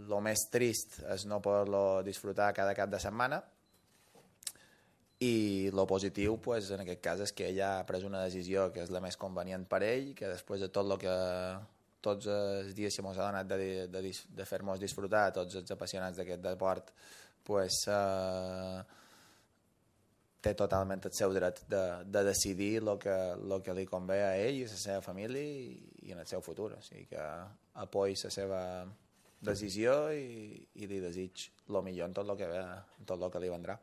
lo més trist és no poder-lo disfrutar cada cap de setmana, i lo positiu pues, en aquest cas és que ell ha pres una decisió que és la més convenient per ell, que després de tot el que tots els dies que ens ha donat de fer-nos disfrutar a tots els apassionats d'aquest deport, pues, té totalment el seu dret de decidir el que li convé a ell i a la seva família i en el seu futur. O sigui que apoyo la seva decisió i li desig el millor en tot el que ve, en tot el que li vendrà.